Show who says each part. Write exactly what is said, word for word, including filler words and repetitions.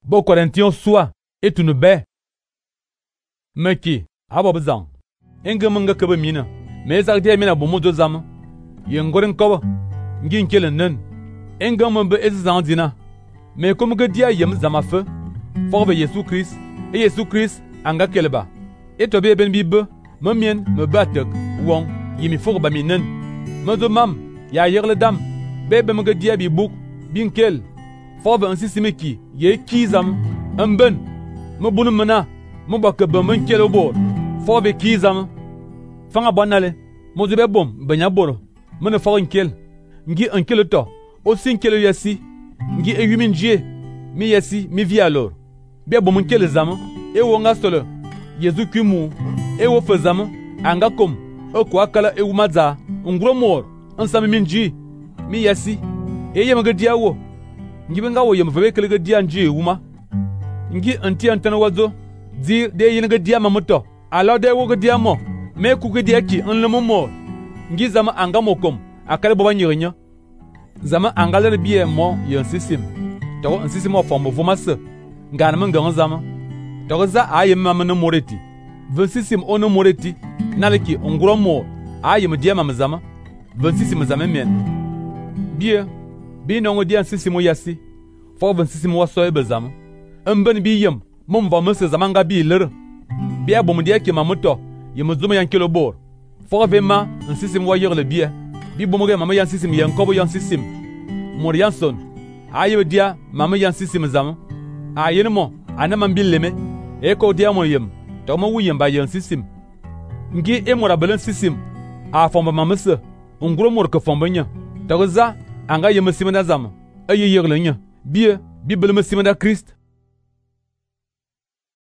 Speaker 1: Bo Corinthiens soit et tu ne be. Meki, abo bezang. Engem nga kebe mina. Me zak dia mina bo modo zam. Ye ngorin kobo. Ngin kelen nen. Engem be ezang dina. Me comme que dia yem zama fe. Forbe Yesu Christ. Et Yesu Christ anga keleba. Et to be ben bibe. Me mien me batek. Wong yimi forba mi nen. Me zo mam ya yerle dam. Bebe me dia bi bouk. Bin kel. Forbe ansi simeki. Ye kizam. Mben. Me bunu mena. Mo baka be men kel obor. Forbe kizam. Fanga bonale. Mo zo be bom benya boro. Me ne for kel. Ngi un kel to. O sin kel yasi. Ngi e yumin je. Mi yasi mi vi alors. Be bom kel zam. E wonga solo. Yezu kumu. E wo fe zam. Anga kom. E kwa kala e umaza. Ngro mor. Ansami minji. Mi yasi. E yema ga dia wo. Ngi benga wo yema fe kele ga dia nji uma. Ngi anti antana wazo. Dir de yin ga dia mamoto. Alors de wo ga dia mo. Me ku ga dia ki en le mo. Ngi zama anga mokom. Akale boba nyirinya. Zama anga le biye mo yon sisim. To en sisim mo forme voma se. Ngana man gan zama. To za aye mama no moreti. vingt-sixième ono moreti. Naleki ngro mo. Aye me dia mama zama. vingt-sixième zama men. Biye. Bi no ngodi an sisimo yasi. Fo vingt-sixième wa so e bezama. Mben bi yem. Mom va me se zama nga bi lere. Biya bom dia ki mamoto. Yem zuma yan kilo bor. Fo vema an sisim wa yer le biye. Bi bom ge mama yan sisim yan kobo yan sisim. Mor yan son. Aye dia mama yan sisim zama. Aye mo anama mbileme. E ko dia mo yem. To mo wuyem ba yan sisim. Ngi e mora belen sisim. A fomba mama se. Ngro mor ke fomba nya. To za anga yem simena zama. Aye yer le nya. Biye bi beleme simena Christ.